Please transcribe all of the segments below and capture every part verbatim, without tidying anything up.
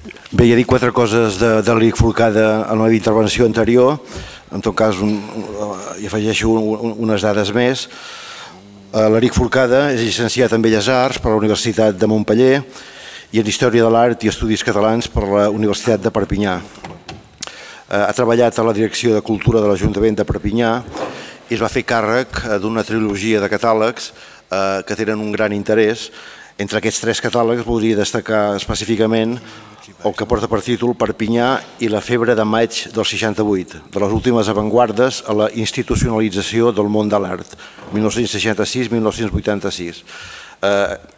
Bé, ja he dit quatre coses de, de l'Eric Forcada en la meva intervenció anterior. En tot cas, un, hi afegeixo un, unes dades més. L'Eric Forcada és llicenciat en Belles Arts per la Universitat de Montpeller i en Història de l'Art i Estudis Catalans per la Universitat de Perpinyà. Ha treballat a la Direcció de Cultura de l'Ajuntament de Perpinyà i es va fer càrrec d'una trilogia de catàlegs que tenen un gran interès. Entre aquests tres catàlegs voldria destacar específicament el que porta per títol Perpinyà i la febre de maig del seixanta-vuit, de les últimes avantguardes a la institucionalització del món de l'art, mil nou-cents seixanta-sis a mil nou-cents vuitanta-sis.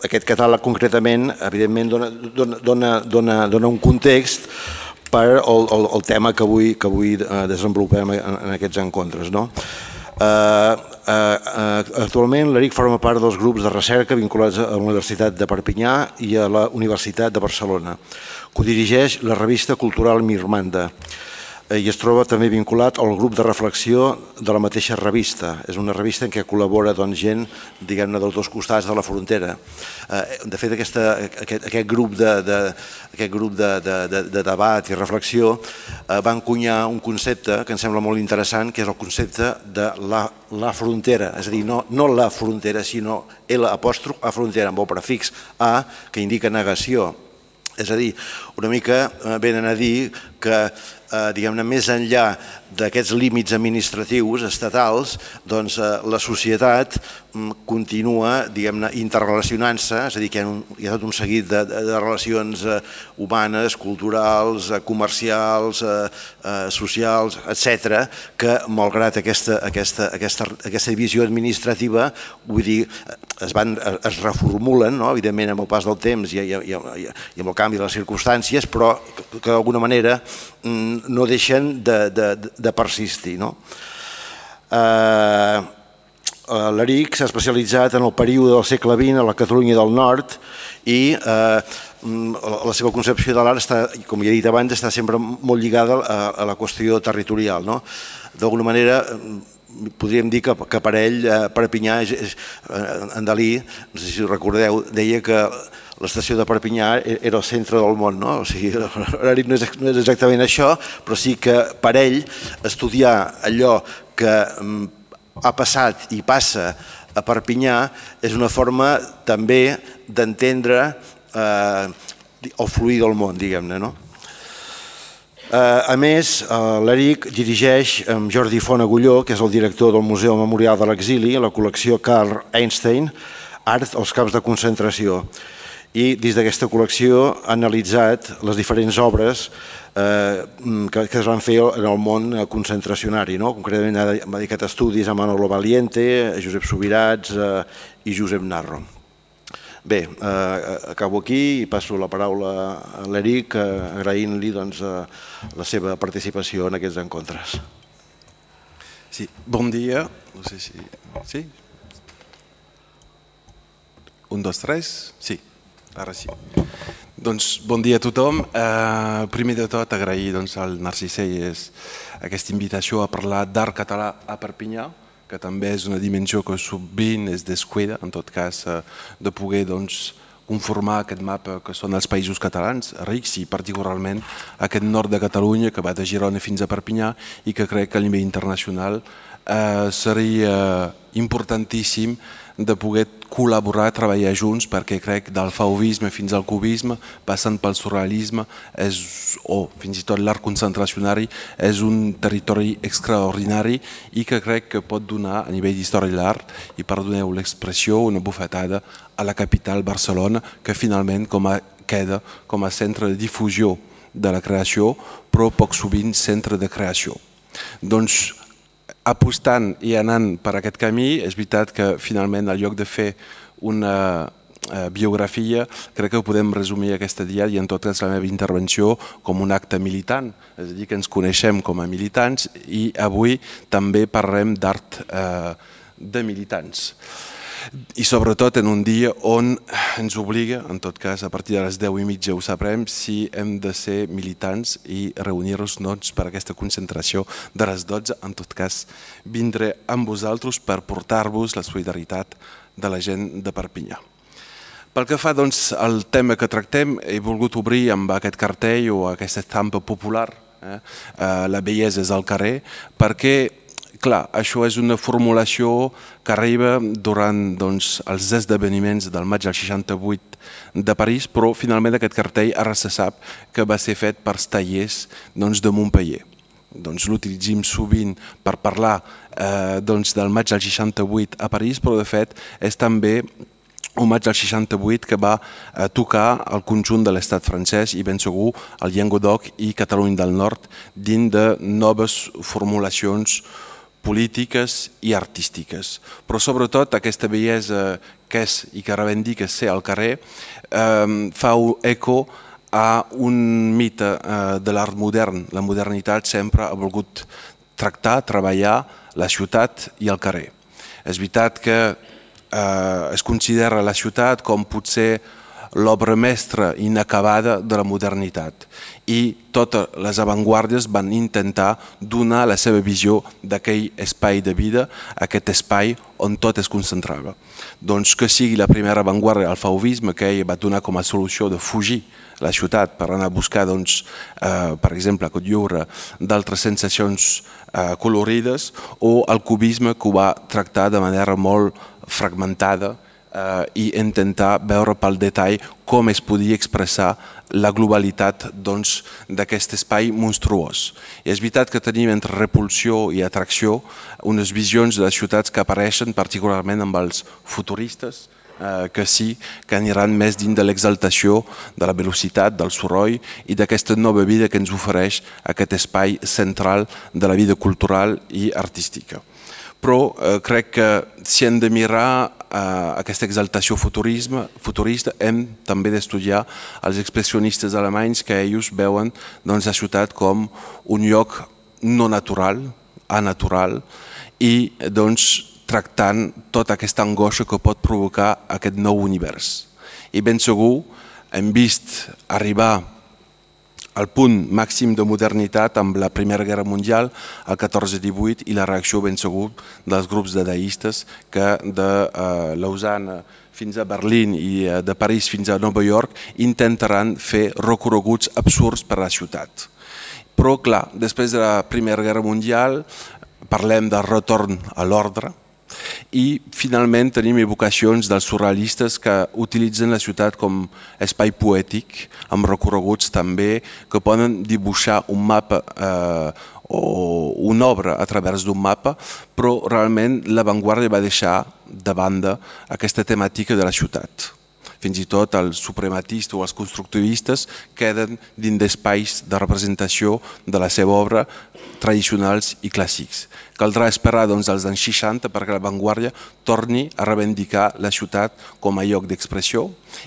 Aquest catàleg concretament, evidentment, dona, dona, dona, dona un context per al, al, al tema que avui, que avui desenvolupem en, en aquests encontres. No? Uh, uh, uh, actualment l'Eric forma part dels grups de recerca vinculats a la Universitat de Perpinyà i a la Universitat de Barcelona. Codirigeix la revista cultural Mirmanda i es troba també vinculat al grup de reflexió de la mateixa revista. És una revista en què col·labora doncs, gent diguem-ne dels dos costats de la frontera. De fet, aquesta, aquest, aquest grup, de, de, aquest grup de, de, de, de debat i reflexió va encunyar un concepte que em sembla molt interessant, que és el concepte de la, la frontera. És a dir, no, no la frontera, sinó L apòstrof a frontera, amb el prefix A, que indica negació. És a dir, una mica venen a dir que eh, diguem-ne, més enllà d'aquests límits administratius estatals, doncs eh, la societat mm, continua, diguem-ne, interrelacionant-se, és a dir, que hi ha, un, hi ha tot un seguit de, de, de relacions eh, humanes, culturals, eh, comercials, eh, eh, socials, etcètera, que malgrat aquesta, aquesta, aquesta, aquesta divisió administrativa, vull dir, es, van, es reformulen, no? Evidentment, amb el pas del temps i, i, i, i amb el canvi de les circumstàncies, però que, que d'alguna manera no deixen de, de, de persistir. No? Eh, L'Eric s'ha especialitzat en el període del segle vint a la Catalunya del Nord i eh, la seva concepció de l'art, com ja he dit abans, està sempre molt lligada a, a la qüestió territorial. No? D'alguna manera, podríem dir que, que per ell, Perpinyà, és, és, en Dalí, no sé si recordeu, deia que l'estació de Perpinyà era el centre del món, no? O sigui, no és exactament això, però sí que per ell estudiar allò que ha passat i passa a Perpinyà és una forma també d'entendre eh, el fluir del món, diguem-ne, no? A més, l'Eric dirigeix amb Jordi Font Agulló, que és el director del Museu Memorial de l'Exili, la col·lecció Carl Einstein, Art als camps de concentració. I dins d'aquesta col·lecció ha analitzat les diferents obres eh, que, que es van fer en el món concentracionari. No? Concretament ha dedicat estudis a Manolo Valiente, a Josep Subirats eh, i Josep Narro. Bé, eh, acabo aquí i passo la paraula a l'Eric, eh, agraint-li doncs, eh, la seva participació en aquests encontres. Sí, bon dia. No sé si... Sí? Un, dos, tres? Sí. Ara sí. Doncs bon dia a tothom. Eh, primer de tot agrair doncs, al Narcís Seyes aquesta invitació a parlar d'art català a Perpinyà, que també és una dimensió que sovint es descuida, en tot cas, eh, de poder doncs, conformar aquest mapa que són els països catalans, rics i particularment aquest nord de Catalunya que va de Girona fins a Perpinyà i que crec que a nivell internacional eh, seria importantíssim de poder col·laborar, treballar junts, perquè crec del fauvisme fins al cubisme, passant pel surrealisme, és, o fins i tot l'art concentracionari, és un territori extraordinari i que crec que pot donar a nivell d'història de l'art, i perdoneu l'expressió, una bufetada a la capital Barcelona, que finalment com a, queda com a centre de difusió de la creació, però poc sovint centre de creació. Doncs apostant i anant per aquest camí, és veritat que finalment al lloc de fer una biografia, crec que ho podem resumir aquesta dia i en tot cas la meva intervenció com un acte militant, és a dir, que ens coneixem com a militants i avui també parlem d'art de militants. I sobretot en un dia on ens obliga, en tot cas a partir de les deu i mitja ho sabrem, si hem de ser militants i reunir-nos per aquesta concentració de les dotze. En tot cas, vindré amb vosaltres per portar-vos la solidaritat de la gent de Perpinyà. Pel que fa doncs, al tema que tractem, he volgut obrir amb aquest cartell o aquesta estampa popular, eh, la bellesa és al carrer, perquè, clar, això és una formulació que arriba durant doncs, els esdeveniments del maig del seixanta-vuit de París, però finalment aquest cartell ara se sap que va ser fet per tallers doncs, de Montpellier. Doncs, l'utilitzem sovint per parlar eh, doncs, del maig del seixanta-vuit a París, però de fet és també un maig del seixanta-vuit que va eh, tocar el conjunt de l'estat francès i ben segur el Llenguadoc i Catalunya del Nord dins de noves formulacions polítiques i artístiques. Però sobretot aquesta bellesa que és i que reivindica ser al carrer eh, fa eco a un mite eh, de l'art modern. La modernitat sempre ha volgut tractar, treballar la ciutat i el carrer. És veritat que eh, es considera la ciutat com potser l'obra mestra inacabada de la modernitat i totes les avantguàrdies van intentar donar la seva visió d'aquell espai de vida, aquest espai on tot es concentrava. Doncs que sigui la primera avantguàrdia el fauvisme, que ell va donar com a solució de fugir la ciutat per anar a buscar, doncs, eh, per exemple, a Cotlliure, d'altres sensacions eh, colorides, o el cubisme que ho va tractar de manera molt fragmentada eh, i intentar veure pel detall com es podia expressar la globalitat doncs, d'aquest espai monstruós. I és veritat que tenim entre repulsió i atracció unes visions de les ciutats que apareixen particularment amb els futuristes, eh, que sí que aniran més dins de l'exaltació de la velocitat, del soroll i d'aquesta nova vida que ens ofereix aquest espai central de la vida cultural i artística. Però eh, crec que si hem de mirar eh, aquesta exaltació futurisme, futurista hem també d'estudiar els expressionistes alemanys que ells veuen doncs, la ciutat com un lloc no natural, anatural i doncs, tractant tota aquesta angoixa que pot provocar aquest nou univers. I ben segur hem vist arribar al punt màxim de modernitat amb la Primera Guerra Mundial, el catorze divuit, i la reacció ben segur dels grups dadaistes que de eh, Lausana fins a Berlín i de París fins a Nova York intentaran fer recorreguts absurds per a la ciutat. Però clar, després de la Primera Guerra Mundial parlem del retorn a l'ordre, i finalment tenim evocacions dels surrealistes que utilitzen la ciutat com espai poètic, amb recorreguts també que poden dibuixar un mapa eh, o una obra a través d'un mapa, però realment l'avantguàrdia va deixar de banda aquesta temàtica de la ciutat. Fins i tot els suprematistes o els constructivistes queden dins d'espais de representació de la seva obra tradicionals i clàssics. Caldrà esperar doncs, als anys seixanta perquè l'avantguàrdia torni a reivindicar la ciutat com a lloc d'expressió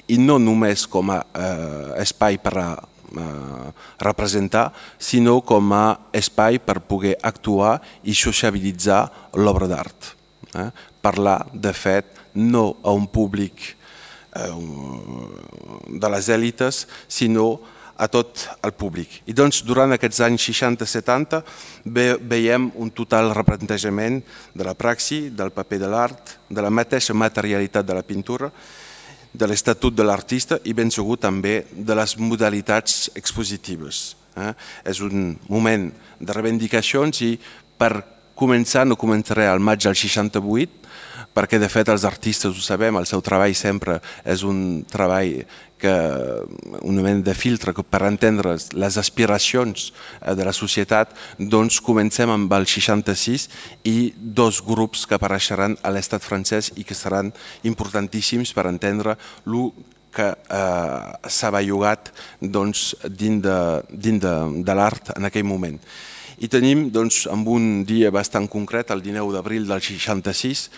i no només com a eh, espai per a eh, representar, sinó com a espai per poder actuar i sociabilitzar l'obra d'art. Eh? Parlar, de fet, no a un públic de les èlites, sinó a tot el públic. I doncs durant aquests anys seixanta setanta veiem un total replantejament de la praxi, del paper de l'art, de la mateixa materialitat de la pintura, de l'estatut de l'artista i ben segur també de les modalitats expositives. Eh? És un moment de reivindicacions i per començar, no començaré al maig del seixanta-vuit, perquè de fet els artistes ho sabem, el seu treball sempre és un treball que, un moment de filtre que per entendre les aspiracions de la societat, doncs comencem amb el seixanta-sis i dos grups que apareixeran a l'estat francès i que seran importantíssims per entendre el que eh, s'ha bellugat doncs, dins de, dins de, de l'art en aquell moment. I tenim, doncs, amb un dia bastant concret, el dinou d'abril del seixanta-sis,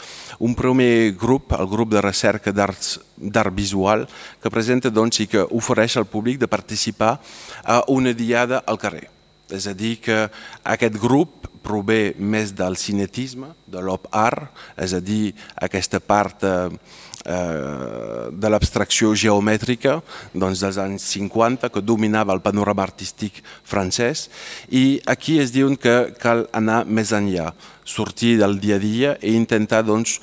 un primer grup, el grup de recerca d'art visual, que presenta doncs, i que ofereix al públic de participar a una diada al carrer. És a dir, que aquest grup prové més del cinetisme, de l'op art, és a dir, aquesta part eh, de l'abstracció geomètrica doncs, dels anys cinquanta que dominava el panorama artístic francès i aquí es diuen que cal anar més enllà, sortir del dia a dia i intentar doncs,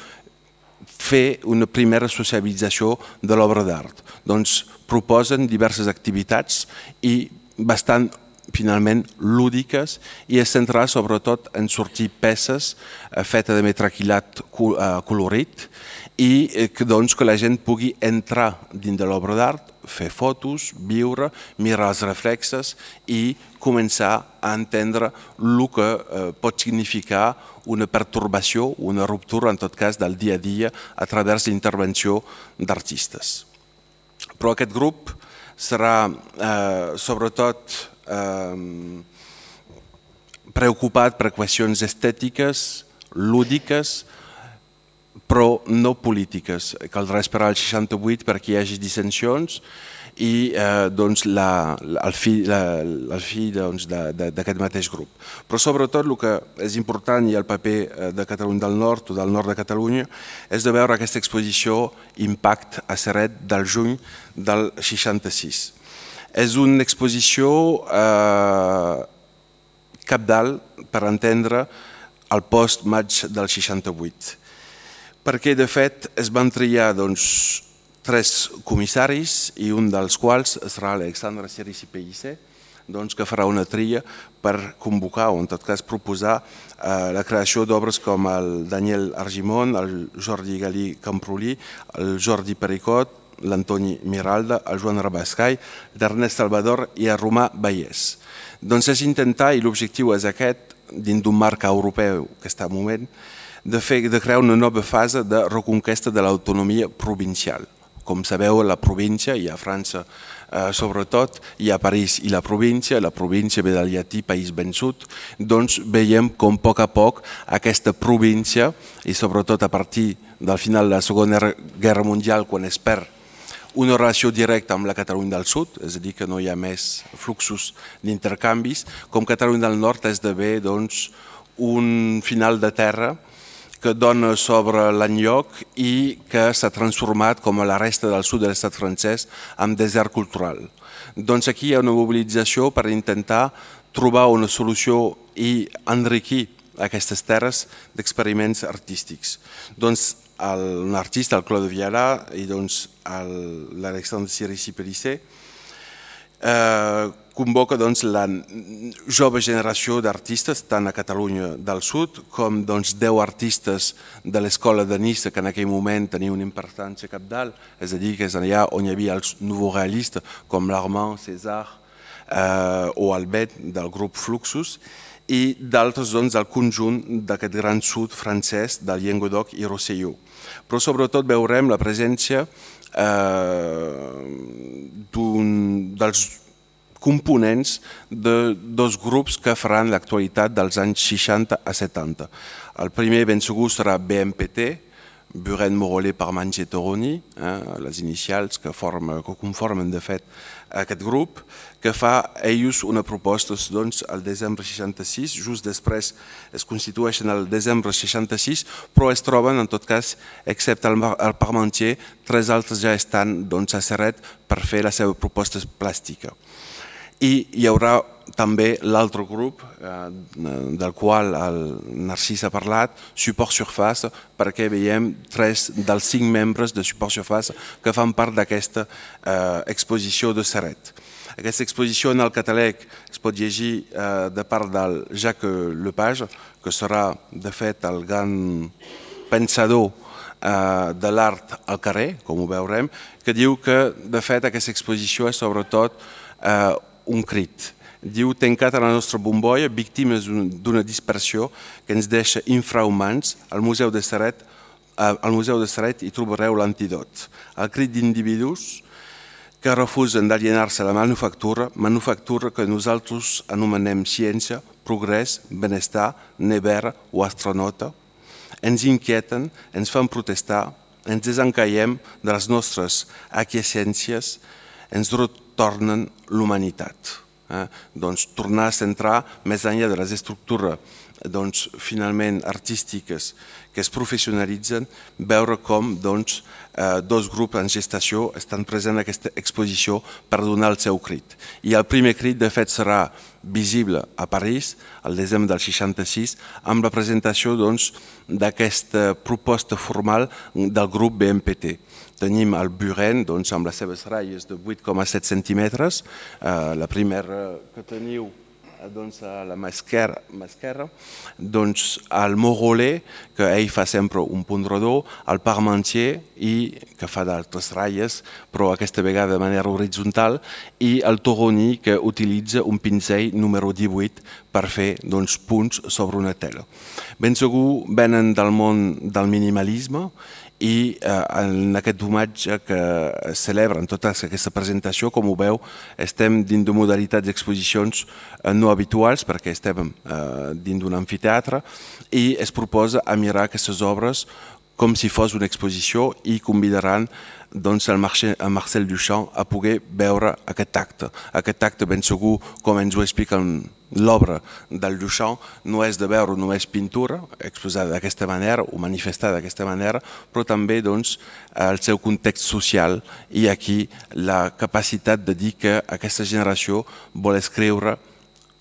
fer una primera socialització de l'obra d'art. Doncs proposen diverses activitats i bastant finalment lúdiques i es centrarà sobretot en sortir peces fetes de metraquilat colorit i que, doncs, que la gent pugui entrar dins de l'obra d'art, fer fotos, viure, mirar els reflexes i començar a entendre el que eh, pot significar una pertorbació, una ruptura, en tot cas, del dia a dia a través de l'intervenció d'artistes. Però aquest grup serà eh, sobretot eh, preocupat per qüestions estètiques, lúdiques, però no polítiques. Caldrà esperar el seixanta-vuit perquè hi hagi dissensions i eh, doncs la, el fi, la, el fi doncs, d'aquest mateix grup. Però sobretot el que és important i el paper de Catalunya del Nord o del nord de Catalunya és de veure aquesta exposició Impact a Ceret del juny del seixanta-sis. És una exposició eh, cabdal per entendre el post-maig del seixanta-vuit. Perquè, de fet, es van triar doncs, tres comissaris i un dels quals serà Alexandre Cirici Pellicer, doncs, que farà una tria per convocar o, en tot cas, proposar eh, la creació d'obres com el Daniel Argimon, el Jordi Galí Camprolí, el Jordi Pericot, l'Antoni Miralda, el Joan Rabascai, l'Ernest Salvador i el Romà Vallès. Doncs és intentar, i l'objectiu és aquest, dins d'un marc europeu que està en moment, de, fer, de crear una nova fase de reconquesta de l'autonomia provincial. Com sabeu, la província, i a França eh, sobretot, hi ha París i la província, la província ve del llatí País Vençut, doncs veiem com a poc a poc aquesta província, i sobretot a partir del final de la Segona Guerra Mundial, quan es perd una relació directa amb la Catalunya del Sud, és a dir, que no hi ha més fluxos d'intercanvis, com Catalunya del Nord esdevé doncs, un final de terra que dona sobre l'enlloc i que s'ha transformat, com a la resta del sud de l'estat francès, en desert cultural. Doncs aquí hi ha una mobilització per intentar trobar una solució i enriquir aquestes terres d'experiments artístics. Doncs un artista, el Claude Viala, i doncs l'Alexandre Cirici Pellicer, eh, convoca doncs, la jove generació d'artistes, tant a Catalunya del Sud com doncs, deu artistes de l'escola de Nice, que en aquell moment tenia una importància cabdal, és a dir, que és allà on hi havia els nouveaux realistes, com l'Armand, César eh, o el Bet del grup Fluxus, i d'altres doncs, del conjunt d'aquest gran sud francès, del Llenguadoc i Rosselló. Però sobretot veurem la presència eh, dels components de dos grups que faran l'actualitat dels anys seixanta a setanta. El primer ben segur serà B M P T, Buren Morollet Parmentier Toroni, eh, les inicials que, forma, que conformen de fet aquest grup, que fa ells una proposta doncs, al desembre seixanta-sis, just després es constitueixen al desembre seixanta-sis, però es troben, en tot cas, excepte el, el Parmentier, tres altres ja estan doncs, a Ceret per fer la seva proposta plàstica. I hi haurà també l'altre grup, eh, del qual el Narcís ha parlat, Support Surface, perquè veiem tres dels cinc membres de Support Surface que fan part d'aquesta eh, exposició de Ceret. Aquesta exposició en el catalèc es pot llegir eh, de part del Jacques Lepage, que serà de fet el gran pensador eh, de l'art al carrer, com ho veurem, que diu que de fet aquesta exposició és sobretot eh, un crit. Diu, tancat a la nostra bombolla, víctimes d'una dispersió que ens deixa infrahumans, al Museu de Ceret, al Museu de Ceret hi trobareu l'antidot. El crit d'individus que refusen d'alienar-se a la manufactura, manufactura que nosaltres anomenem ciència, progrés, benestar, nevera o astronauta, ens inquieten, ens fan protestar, ens desencaiem de les nostres aquiescències, ens retornen l'humanitat. Eh? Doncs tornar a centrar més enllà de les estructures doncs, finalment artístiques que es professionalitzen, veure com doncs, eh, dos grups en gestació estan presents en aquesta exposició per donar el seu crit. I el primer crit, de fet, serà visible a París, el desembre del seixanta-sis, amb la presentació doncs, d'aquesta proposta formal del grup B M P T. Tenim el Buren doncs, amb les seves ratlles de vuit coma set centímetres, eh, la primera que teniu doncs, a la mà esquerra, doncs, el Morolé, que ell fa sempre un punt rodó, el Parmentier, i, que fa d'altres ratlles, però aquesta vegada de manera horitzontal, i el Toroni, que utilitza un pinzell número divuit per fer doncs, punts sobre una tela. Ben segur venen del món del minimalisme, i eh, en aquest homatge que es celebra en tota aquesta presentació, com ho veu, estem dins de modalitats d'exposicions eh, no habituals perquè estem eh, dins d'un amfiteatre i es proposa a mirar aquestes obres com si fos una exposició i convidaran doncs, el Marcel Duchamp a poder veure aquest acte. Aquest acte ben segur, com ens ho explica l'obra del Duchamp, no és de veure només pintura, exposada d'aquesta manera o manifestada d'aquesta manera, però també doncs, el seu context social i aquí la capacitat de dir que aquesta generació vol escriure,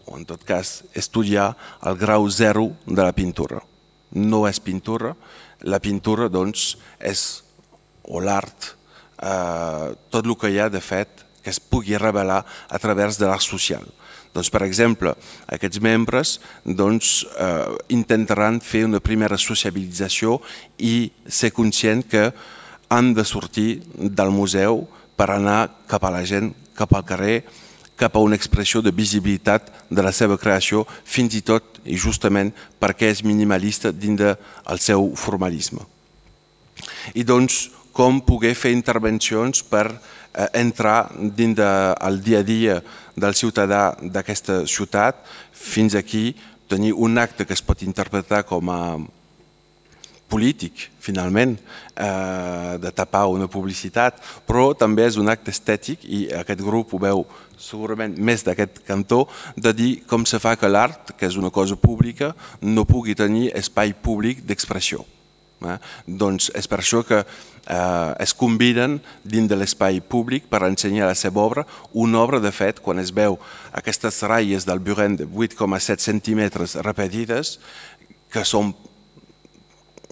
o en tot cas estudiar, el grau zero de la pintura. No és pintura, la pintura doncs, és, o l'art, eh, tot el que hi ha de fet que es pugui revelar a través de l'art social. Doncs, per exemple, aquests membres doncs, eh, intentaran fer una primera sociabilització i ser conscient que han de sortir del museu per anar cap a la gent, cap al carrer, cap a una expressió de visibilitat de la seva creació, fins i tot i justament perquè és minimalista dins del seu formalisme. I doncs com poder fer intervencions per eh, entrar dins del dia a dia del ciutadà d'aquesta ciutat, fins aquí tenir un acte que es pot interpretar com a polític, finalment, eh, de tapar una publicitat, però també és un acte estètic i aquest grup ho veu segurament més d'aquest cantó, de dir com se fa que l'art, que és una cosa pública, no pugui tenir espai públic d'expressió. Eh? Doncs és per això que eh, es conviden dins de l'espai públic per ensenyar la seva obra, una obra de fet, quan es veu aquestes ratlles del Buren de vuit coma set centímetres repetides, que són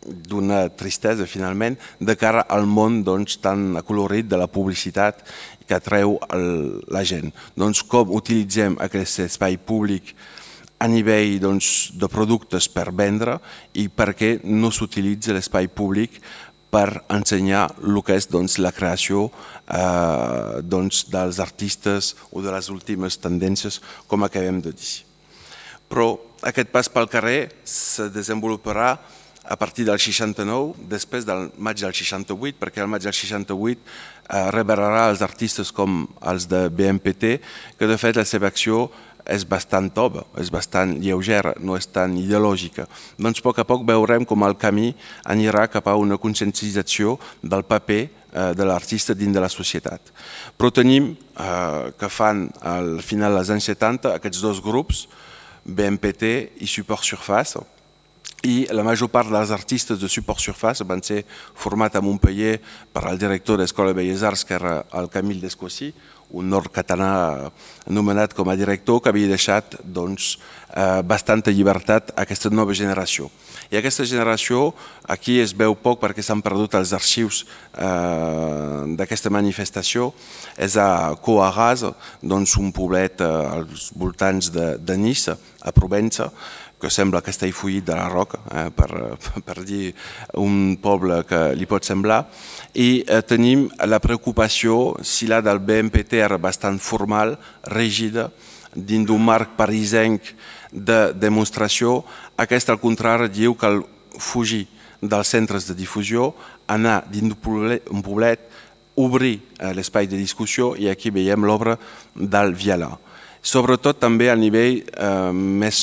d'una tristesa finalment, de cara al món doncs, tan acolorit de la publicitat que atreu el, la gent. Doncs com utilitzem aquest espai públic a nivell doncs, de productes per vendre i per què no s'utilitza l'espai públic per ensenyar el que és doncs, la creació eh, doncs, dels artistes o de les últimes tendències, com acabem de dir. Però aquest pas pel carrer se desenvoluparà a partir del seixanta-nou, després del maig del seixanta-vuit, perquè el maig del seixanta-vuit eh, revelarà els artistes com els de B M P T, que de fet la seva acció és bastant tova, és bastant lleugera, no és tan ideològica. Doncs a poc a poc veurem com el camí anirà cap a una conscienciació del paper eh, de l'artista dins de la societat. Però tenim eh, que fan al final dels anys setanta aquests dos grups, B M P T i Support Surface, i la major part dels artistes de Support Surface van ser formats a Montpellier per el director de l'Escola de Belles Arts, que era el Camille Descossy, un nord-català anomenat com a director, que havia deixat doncs, eh, bastanta llibertat a aquesta nova generació. I aquesta generació, aquí es veu poc perquè s'han perdut els arxius eh, d'aquesta manifestació, és a Coarraz, doncs un poblet eh, als voltants de, de Nice, a Provença, que sembla Castellfollit de la Roca, eh, per, per dir un poble que li pot semblar, i eh, tenim la preocupació, si la del B M P T era bastant formal, rígida, dins d'un marc parisenc de demostració, aquest al contrari diu que fugir dels centres de difusió, anar dins d'un poblet, un poblet obrir eh, l'espai de discussió, i aquí veiem l'obra del Viala. Sobretot també a nivell eh, més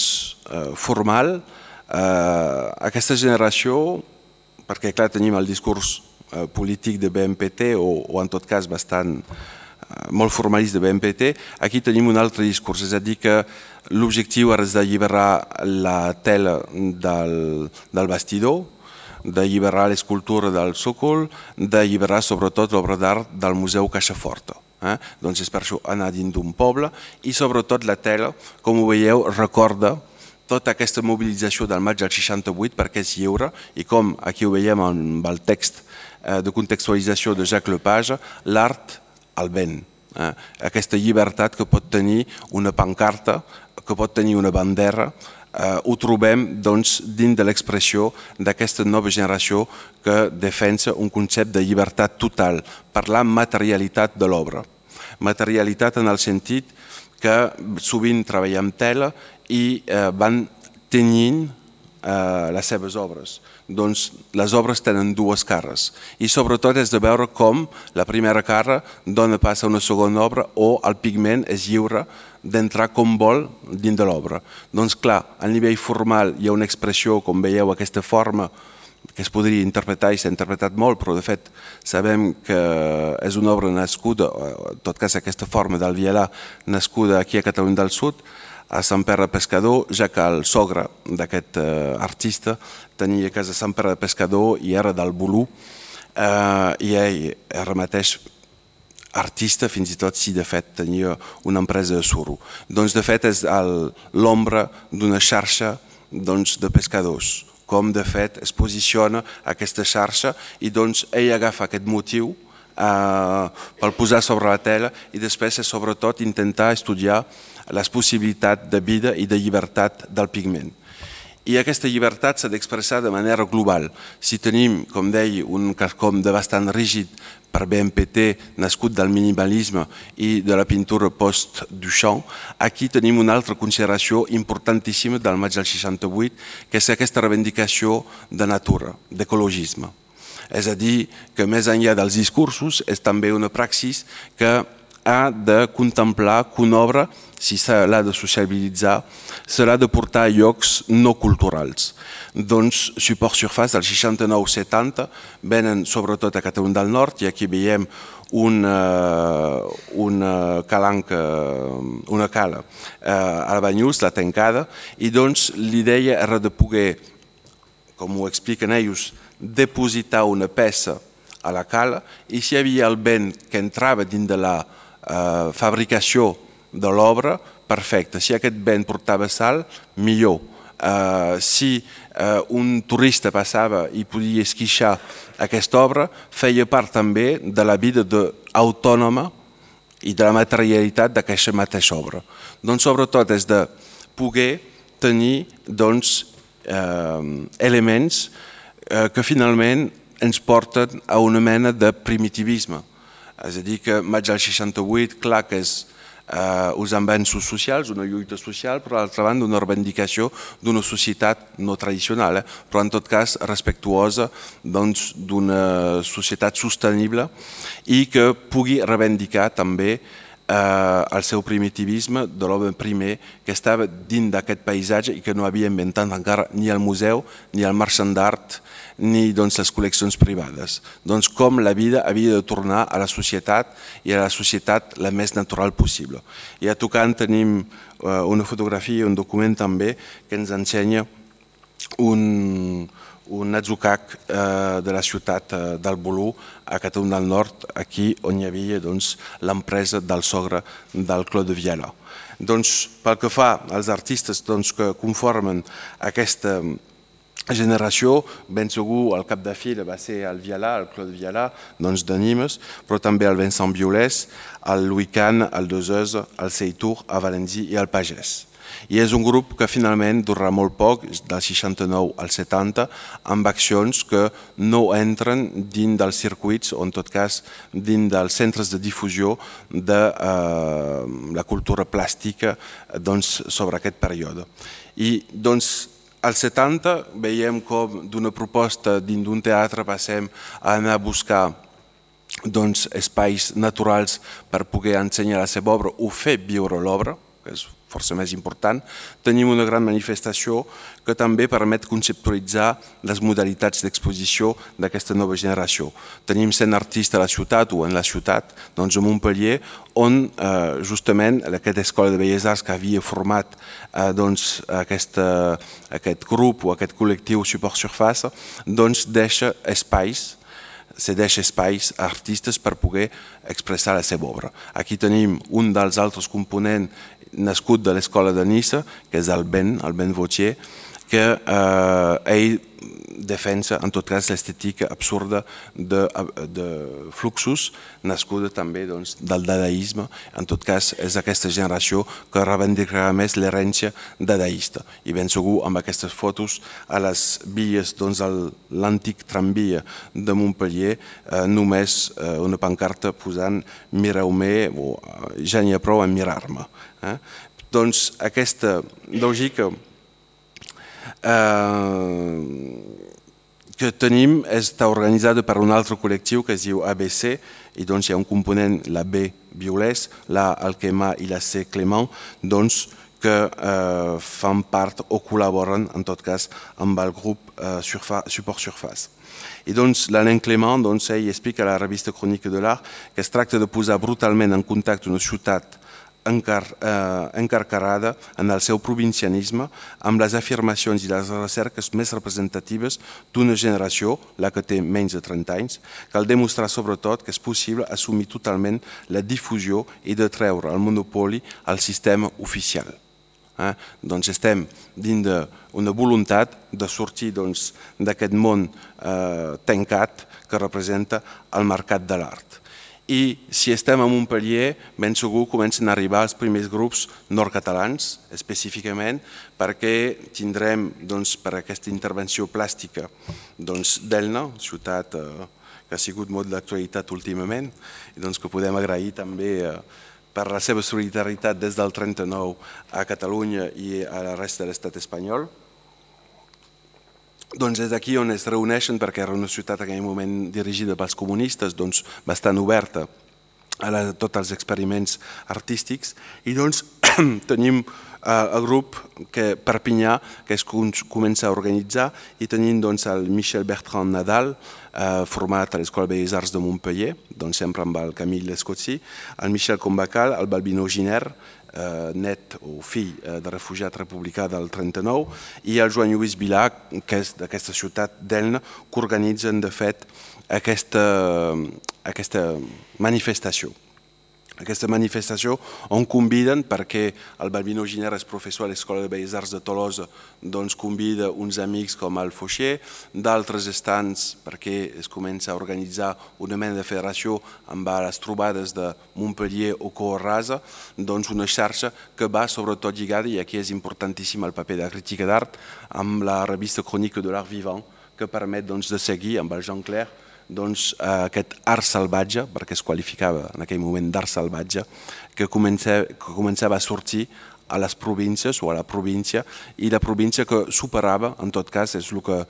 eh, formal, eh, aquesta generació, perquè clar tenim el discurs eh, polític de B M P T o, o en tot cas bastant molt formalista de B M P T, aquí tenim un altre discurs, és a dir que l'objectiu és d'alliberar la tela del, del bastidor, d'alliberar l'escultura del sòcol, d'alliberar sobretot l'obra d'art del Museu Caixa Forta. Eh? Doncs és per això anar dins d'un poble i sobretot la tela, com ho veieu, recorda tota aquesta mobilització del maig del seixanta-vuit perquè és lliure i com aquí ho veiem amb el text de contextualització de Jacques Lepage, l'art al vent. Eh? Aquesta llibertat que pot tenir una pancarta, que pot tenir una bandera, eh, ho trobem doncs, dins de l'expressió d'aquesta nova generació que defensa un concepte de llibertat total, parlar materialitat de l'obra. Materialitat en el sentit que sovint treballem tela i eh, van tenyint eh, les seves obres. Doncs les obres tenen dues cares i sobretot és de veure com la primera cara dona pas a una segona obra o el pigment és lliure d'entrar com vol dins de l'obra. Doncs clar, a nivell formal hi ha una expressió, com veieu, aquesta forma que es podria interpretar i s'ha interpretat molt, però de fet sabem que és una obra nascuda, en tot cas aquesta forma del Vielà, nascuda aquí a Catalunya del Sud, a Sant Pere de Pescador, ja que el sogre d'aquest eh, artista tenia casa a Sant Pere de Pescador i era del Bolú, eh, i ell era mateix artista, fins i tot si de fet tenia una empresa de suro. Doncs de fet és l'ombra d'una xarxa doncs, de pescadors, com de fet es posiciona aquesta xarxa i doncs ell agafa aquest motiu eh, per posar sobre la tela i després és sobretot intentar estudiar les possibilitats de vida i de llibertat del pigment. I aquesta llibertat s'ha d'expressar de manera global. Si tenim, com deia, un quelcom de bastant rígid per B M P T, nascut del minimalisme i de la pintura post-Duchamp, aquí tenim una altra consideració importantíssima del maig del seixanta-vuit, que és aquesta reivindicació de natura, d'ecologisme. És a dir, que més enllà dels discursos és també una praxis que ha de contemplar que una obra, si se l'ha de sociabilitzar, se l'ha de portar a llocs no culturals. Doncs Support Surface del seixanta-nou setanta venen sobretot a Catalunya del Nord i aquí veiem una, una calanca, una cala a Banyuls, la Tancada, i doncs l'idea era de poder, com ho expliquen ells, depositar una peça a la cala i si hi havia el vent que entrava dins de la Uh, fabricació de l'obra, perfecte. Si aquest vent portava sal, millor. Uh, si uh, un turista passava i podia esquixar aquesta obra, feia part també de la vida autònoma i de la materialitat d'aquesta mateixa obra. Doncs sobretot és de poder tenir doncs, uh, elements uh, que finalment ens porten a una mena de primitivisme. És a dir, que maig del seixanta-vuit, clar que és eh, uns avenços socials, una lluita social, però d'altra banda una reivindicació d'una societat no tradicional, eh, però en tot cas respectuosa doncs, d'una societat sostenible i que pugui reivindicar també eh, el seu primitivisme de l'home primer que estava dins d'aquest paisatge i que no havia inventat encara ni el museu, ni el marxant d'art, ni doncs, les col·leccions privades. Doncs com la vida havia de tornar a la societat i a la societat la més natural possible. I a tocant tenim uh, una fotografia, un document també que ens ensenya un, un atzucac uh, de la ciutat uh, del Bolú a Catalunya del Nord, aquí on hi havia doncs, l'empresa del sogre del Claude Vielà. Doncs, pel que fa als artistes doncs, que conformen aquesta generació, ben segur el cap de fila va ser el Vielà, el Claude Vielà, doncs de Nimes, però també el Vincent Biolès, el Louis Kahn, el Deleuze, el Seytour, el Valenzy i el Pagès. I és un grup que finalment durarà molt poc, del seixanta-nou al setanta, amb accions que no entren dins dels circuits o en tot cas dins dels centres de difusió de eh, la cultura plàstica doncs, sobre aquest període. I doncs als setanta veiem com d'una proposta dins d'un teatre passem a anar a buscar doncs, espais naturals per poder ensenyar la seva obra o fer viure l'obra. que és força més important. Tenim una gran manifestació que també permet conceptualitzar les modalitats d'exposició d'aquesta nova generació. Tenim cent artistes a la ciutat o en la ciutat, doncs a Montpellier, on justament aquesta Escola de Belles Arts que havia format aquest grup o aquest col·lectiu Support Surface, doncs deixa espais cedeix espais a artistes per poder expressar la seva obra. Aquí tenim un dels altres components nascut de l'Escola de Niça, que és el Ben, el Ben Vautier, que ell defensa en tot cas l'estètica absurda de fluxos nascuda també del dadaisme. En tot cas és aquesta generació que reivindicarà més l'herència dadaista i ben segur amb aquestes fotos a les vies de l'antic tramvia de Montpellier només una pancarta posant mireu-me o ja n'hi ha prou a mirar-me. Doncs aquesta lògica que tenim està organitzada per un altre col·lectiu que es diu A B C i doncs hi ha un component, la B Violès, la Alquema i la C Clément, doncs que fan part o col·laboren en tot cas amb el grup Support Surface. I doncs l'Alain Clément, ell explica a la revista Chronique de l'Art que es tracta de posar brutalment en contacte una ciutat encarcarada en el seu provincianisme amb les afirmacions i les recerques més representatives d'una generació, la que té menys de trenta anys, cal demostrar sobretot que és possible assumir totalment la difusió i de treure el monopoli al sistema oficial. Doncs estem dins d'una voluntat de sortir d'aquest món tancat que representa el mercat de l'art. I si estem a Montpellier, ben segur comencen a arribar els primers grups nord-catalans, específicament perquè tindrem per aquesta intervenció plàstica d'Elna, ciutat que ha sigut molt d'actualitat últimament, i que podem agrair també per la seva solidaritat des del trenta-nou a Catalunya i a la resta de l'estat espanyol. Doncs és aquí on es reuneixen, perquè era una ciutat en aquell moment dirigida pels comunistes, bastant oberta a tots els experiments artístics, i doncs tenim el grup Perpinyà que es comença a organitzar i tenim el Michel Bertrand Nadal, format a l'Escola de Belles Arts de Montpellier, sempre amb el Camille Lescotsi, el Michel Combacal, el Balbino Giner, net o fill de refugiat republicà del trenta-nou, i el Joan Lluís Vilà, que és d'aquesta ciutat d'Elna, que organitzen de fet aquesta manifestació. Aquesta manifestació on conviden, perquè el Balbino Giner és professor a l'Escola de Belles Arts de Tolosa, doncs convida uns amics com el Fauché, d'altres estants perquè es comença a organitzar una mena de federació amb les trobades de Montpellier o Coarrasa, doncs una xarxa que va sobretot lligada, i aquí és importantíssim el paper de la crítica d'art, amb la revista Chronique de l'Art Vivant, que permet de seguir amb el Jean Clair aquest art salvatge, perquè es qualificava en aquell moment d'art salvatge, que començava a sortir a les províncies o a la província, i la província que superava, en tot cas, és el que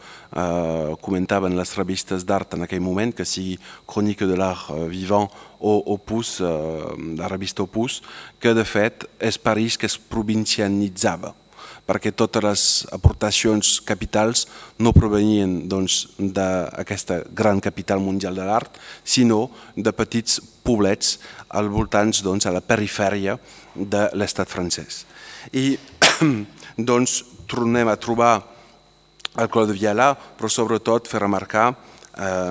comentaven les revistes d'art en aquell moment, que sigui Chronique de l'Art Vivant o Opus, la revista Opus, que de fet és París que es provincianitzava, perquè totes les aportacions capitals no provenien d'aquesta gran capital mundial de l'art, sinó de petits poblets al voltant a la perifèria de l'estat francès. I doncs tornem a trobar el Claude Viala, però sobretot fer remarcar,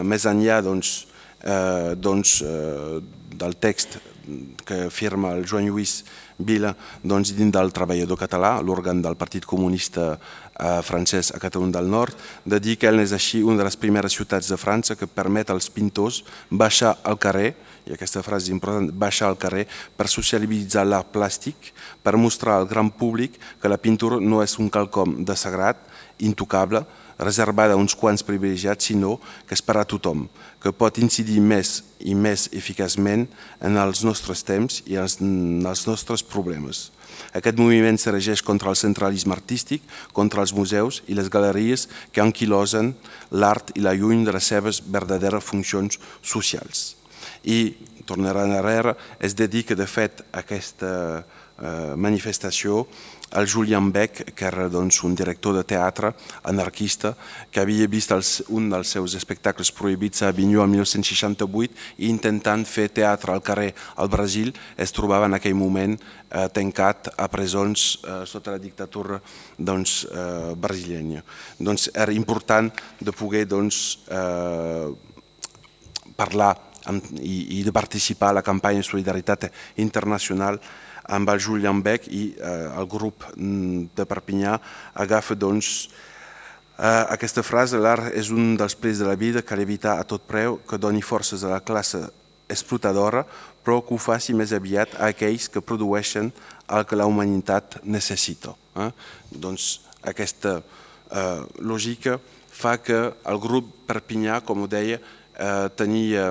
més enllà del text que firma el Joan Lluís Vila dins del Treballador Català, l'òrgan del Partit Comunista francès a Catalunya del Nord, de dir que Elna és així una de les primeres ciutats de França que permet als pintors baixar al carrer, i aquesta frase és important, baixar al carrer per socialitzar l'art plàstic, per mostrar al gran públic que la pintura no és un quelcom de sagrat, intocable, reservada a uns quants privilegiats, sinó que és per a tothom, que pot incidir més i més eficaçment en els nostres temps i en els nostres problemes. Aquest moviment s'erigeix contra el centralisme artístic, contra els museus i les galeries que anquilosen l'art i la lluny de les seves verdaderes funcions socials. I, tornarà enrere, es dedica de fet a aquesta eh, manifestació al Julian Beck, que era doncs, un director de teatre anarquista que havia vist els, un dels seus espectacles prohibits a Avinyó el mil nou-cents seixanta-vuit i intentant fer teatre al carrer al Brasil es trobava en aquell moment eh, tancat a presons eh, sota la dictadura doncs, eh, brasileña. Doncs era important de poder doncs, eh, parlar amb, i, i de participar a la campanya de solidaritat internacional amb el Julian Beck i eh, el grup de Perpinyà agafa doncs, eh, aquesta frase: l'art és un dels plets de la vida, cal evitar a tot preu que doni forces a la classe explotadora, però que ho faci més aviat a aquells que produeixen el que la humanitat necessita. Eh? Doncs aquesta eh, lògica fa que el grup Perpinyà, com ho deia, eh, tenia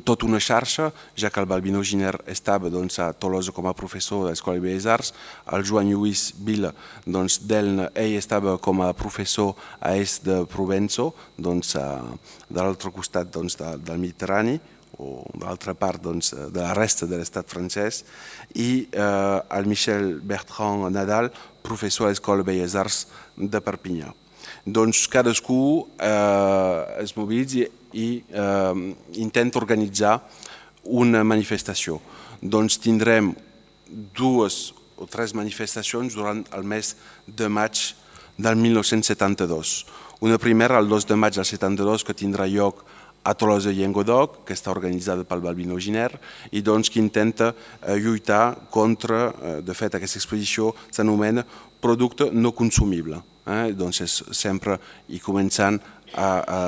tota una xarxa, ja que el Balbino Giner estava doncs, a Tolosa com a professor de l'Escola de Belles Arts, el Joan Lluís Vila doncs, d'Elna, ell estava com a professor a Est de Provenço, doncs, a, de l'altre costat doncs, de, del Mediterrani, o de l'altra part doncs, de la resta de l'estat francès, i eh, el Michel Bertrand Nadal, professor a l'Escola de Belles Arts de Perpinyà. Doncs cadascú eh, es mobilitza i eh, intenta organitzar una manifestació. Doncs tindrem dues o tres manifestacions durant el mes de maig del mil nou-cents setanta-dos. Una primera el dos de maig del setanta-dos que tindrà lloc a Tolosa i Llenguadoc, que està organitzada pel Balbino Giner i doncs que intenta eh, lluitar contra, eh, de fet aquesta exposició s'anomena producte no consumible. Eh? Doncs és sempre i començant a, a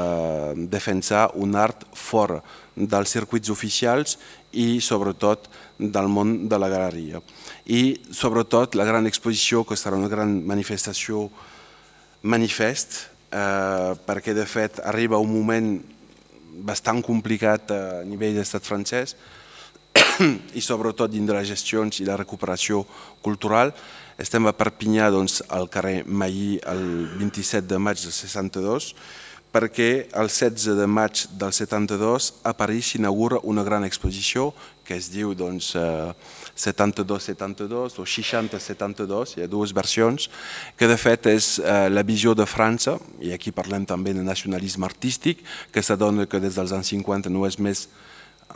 defensar un art fora dels circuits oficials i sobretot del món de la galeria. I sobretot la gran exposició, que serà una gran manifestació manifest, eh, perquè de fet arriba un moment bastant complicat a nivell d'estat francès i sobretot dins de les gestions i la recuperació cultural. Estem a Perpinyà doncs, al carrer Mailly el vint-i-set de maig del seixanta-dos perquè el setze de maig del setanta-dos a París s'inaugura una gran exposició que es diu doncs, eh, setanta-dos setanta-dos o seixanta setanta-dos, hi ha dues versions, que de fet és eh, la visió de França, i aquí parlem també de nacionalisme artístic, que s'adona que des dels anys cinquanta no és més,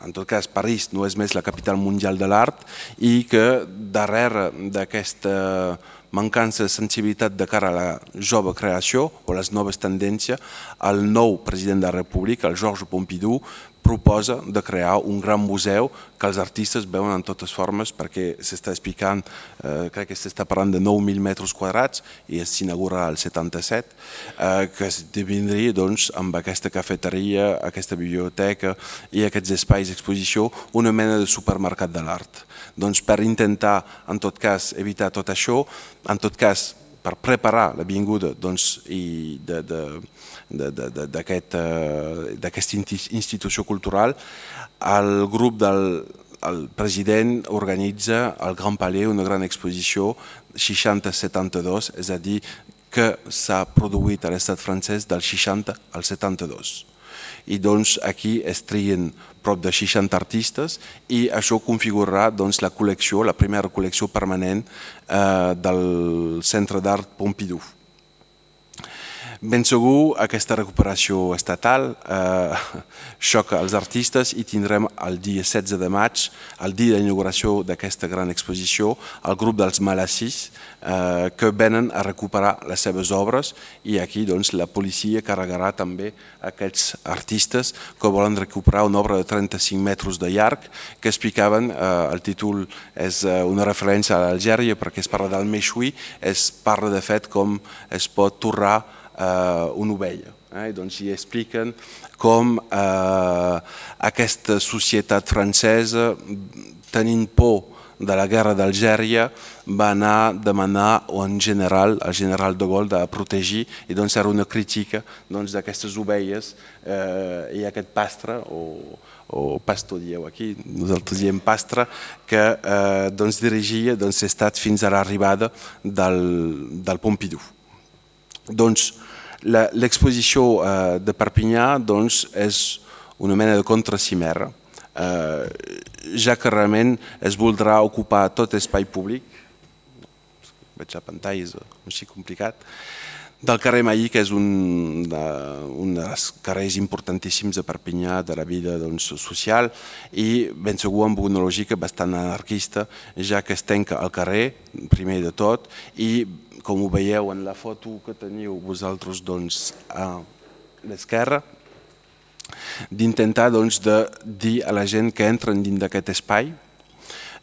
en tot cas París no és més la capital mundial de l'art i que darrere d'aquesta mancança de sensibilitat de cara a la jove creació o les noves tendències, el nou president de la República, el Georges Pompidou, proposa de crear un gran museu que els artistes veuen en totes formes perquè s'està explicant, eh, crec que s'està parlant de nou mil metres quadrats i s'inaugura el setanta-set, eh, que esdevindria doncs, amb aquesta cafeteria, aquesta biblioteca i aquests espais d'exposició una mena de supermercat de l'art. Doncs per intentar, en tot cas, evitar tot això, en tot cas, per preparar la vinguda doncs, i de, de, de, de, de, d'aquesta institució cultural, el grup del el president organitza al Grand Palais una gran exposició seixanta setanta-dos, és a dir, que s'ha produït a l'estat francès del seixanta al setanta-dos. I doncs aquí es trien prop de seixanta artistes i això configurarà doncs, la col·lecció, la primera col·lecció permanent eh, del Centre d'Art Pompidou. Ben segur, aquesta recuperació estatal eh, xoca els artistes i tindrem el dia setze de maig, el dia d'inauguració d'aquesta gran exposició, el grup dels Malassís eh, que venen a recuperar les seves obres i aquí doncs, la policia carregarà també aquests artistes que volen recuperar una obra de trenta-cinc metres de llarg que explicaven, eh, el títol és eh, una referència a l'Algèria perquè es parla del Meixui, es parla de fet com es pot torrar Uh, una ovella. Eh? Doncs hi expliquen com uh, aquesta societat francesa, tenint por de la guerra d'Algèria, va anar a demanar en general, al general de Gaulle de protegir, i doncs era una crítica d'aquestes ovelles eh, i aquest pastre, o, o pastor dieu aquí, nosaltres diem pastre, que eh, doncs, dirigia doncs, l'estat fins a l'arribada del, del Pompidou. Doncs l'exposició de Perpinyà doncs, és una mena de contracimera ja que realment es voldrà ocupar tot espai públic, veig a pantalles així complicat, del carrer Maí, que és un, de, un dels carrers importantíssims de Perpinyà, de la vida doncs, social, i ben segur amb una lògica bastant anarquista, ja que es tanca el carrer, primer de tot, i com ho veieu en la foto que teniu vosaltres doncs, a l'esquerra, d'intentar doncs, de dir a la gent que entren dins d'aquest espai